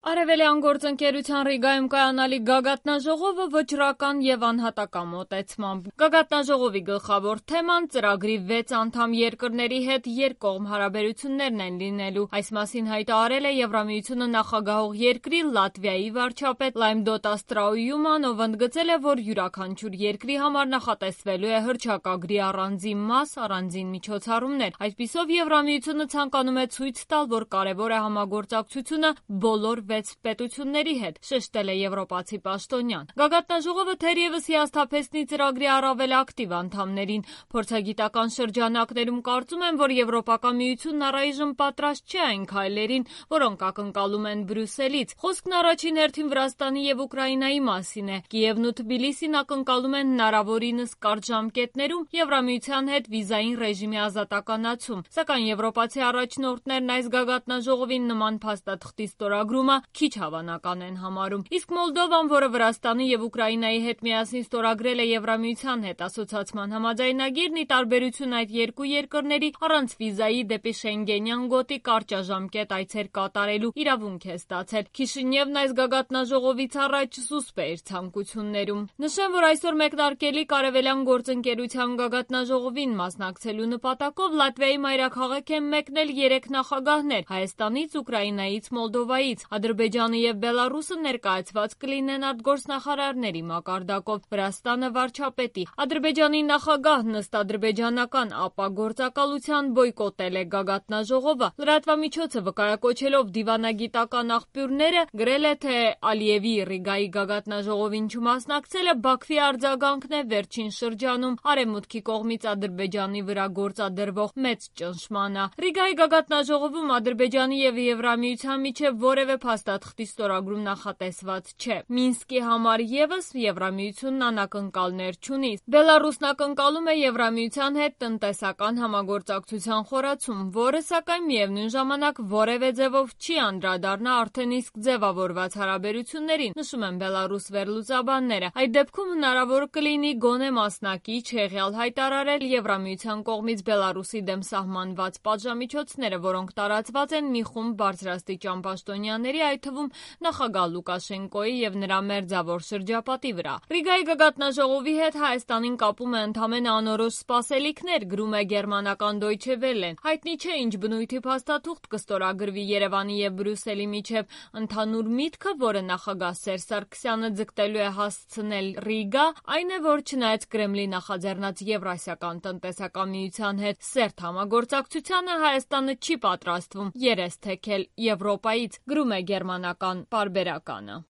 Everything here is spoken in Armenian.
Արևելյան գործընկերության Ռիգայում կայանալիք գագաթնաժողովը վճռական և անհատական մոտեցմամբ։ Գագաթնաժողովի գլխավոր թեման ծրագրի 6 անդամ երկրների հետ երկկողմ հարաբերություններն են լինելու։ Այս մասին հայտարարել է Եվրամիությունը նախագահող երկրի Լատվիայի վարչապետ Լայմդոտա Ստրաույուման, ով ընդգծել է, որ յուրաքանչյուր երկրի համար նախատեսվելու է հռչակագրի առանձին մաս, առանձին միջոցառումներ։ Այսպիսով Եվրամիությունը ցանկանում է ցույց տալ, որ կարևոր է համագործակցությունը բոլոր 6 պետությունների հետ, շեշտել է եվրոպացի պաշտոնյան։ Գագաթնաժողովը թերևս հիասթափեցնի ծրագրի առավել ակտիվ անդամներին։ Փորձագիտական շրջանակներում կարծում են, որ Եվրոպական միությունն առայժմ պատրաստ չէ այն քայլերին, որոնք ակնկալում են Բրյուսելից։ Խոսքն առաջին հերթին Վրաստանի եւ Ուկրաինայի մասին է։ Կիևն ու Թբիլիսին ակնկալում են հնարավորինս կարճ ժամկետներում Եվրամիության հետ վիզային ռեժիմի ազատականացում։ Սակայն եվրոպացի առաջնորդներն այս գագաթնաժողովին նման փաստաթղթի ստորագրումը քիչ հավանական են համարում։ Իսկ Մոլդովան, որը Վրաստանի եւ Ուկրաինայի հետ միասին ստորագրել է Եվրամիության հետ ասոցիացման համաձայնագիրն, ի տարբերություն այդ երկու երկրների, առանց վիզայի դեպի Շենգենյան գոտի կարճաժամկետ այցեր կատարելու իրավունք է ստացել։ Քիշինևն այս գագաթնաժողովից առաջ զուսպ է իր ցանկություններում։ Նշեմ, որ այսօր մեկնարկելիք Արևելյան գործընկերության գագաթնաժողովին մասնակցելու նպատակով Լատվիայի մայրաքաղաք են մեկնել 3 նախագահներ՝ Հայաստանից, Ուկրաինայից, Մոլդովայից։ Ադրբեջանը եւ Բելարուսը ներկայացված կլինեն արտգործնախարարների մակարդակով, Վրաստանը վարչապետի։ Ադրբեջանի նախագահն ըստ ադրբեջանական ԱՊԱ գործակալության բոյկոտել է գագաթնաժողովը։ Լրատվամիջոցը վկայակոչելով դիվանագիտական աղբյուրները գրել է, թե Ալիևի Ռիգայի գագաթնաժողովին չմասնակցելը Բաքվի արձագանքն է վերջին շրջանում Արևմուտքի կողմից Ադրբեջանի վրա գործադրվող մեծ ճնշմանը։ Ռիգայի գագաթնաժողովում Ադրբեջանի եւ Եվրամիության միջև որևէ փաստաթղթի ստորագրում նախատեսված չէ։ Մինսկի համար եւս Եվրամիությունն անակնկալներ չունի։ Բելարուսն ակնկալում է Եվրամիության հետ տնտեսական համագործակցության խորացում, որը սակայն միևնույն ժամանակ որևէ ձևով չի անդրադառնա արդեն իսկ ձևավորված հարաբերություններին, նշում են Բելարուս վերլուծաբանները։ Այդ դեպքում հնարավոր կլինի գոնե մասնակից հեղյալ հայտարարել Եվրամիության կողմից Բելարուսի դեմ սահմանված պատժամիջոցները, որոնք տարածված են մի խումբ բարձրաստիճան պաշտոնյաների, այդ թվում նախագահ Լուկաշենկոյի եւ նրա մերձավոր շրջապատի վրա։ Ռիգայի գագաթնաժողովի հետ Հայաստանին կապում է ընդամենը անորոշ սպասելիքներ, գրում է գերմանական Deutsche Welle-ն։ Հայտնի չէ ինչ բնույթի փաստաթուղթ կստորագրվի Երևանի եւ Բրյուսելի միջև։ Ընդհանուր միտքը, որը նախագահ Սերժ Սարգսյանը ձգտելու է հասցնել Ռիգա, այն է, որ չնայած Կրեմլի նախաձեռնած Եվրասիական տնտեսական միության հետ սերտ համագործակցությանը, Հայաստանը չի պատրաստվում երես թեքել Եվրոպայից, գրում է գերմանական պարբերականը։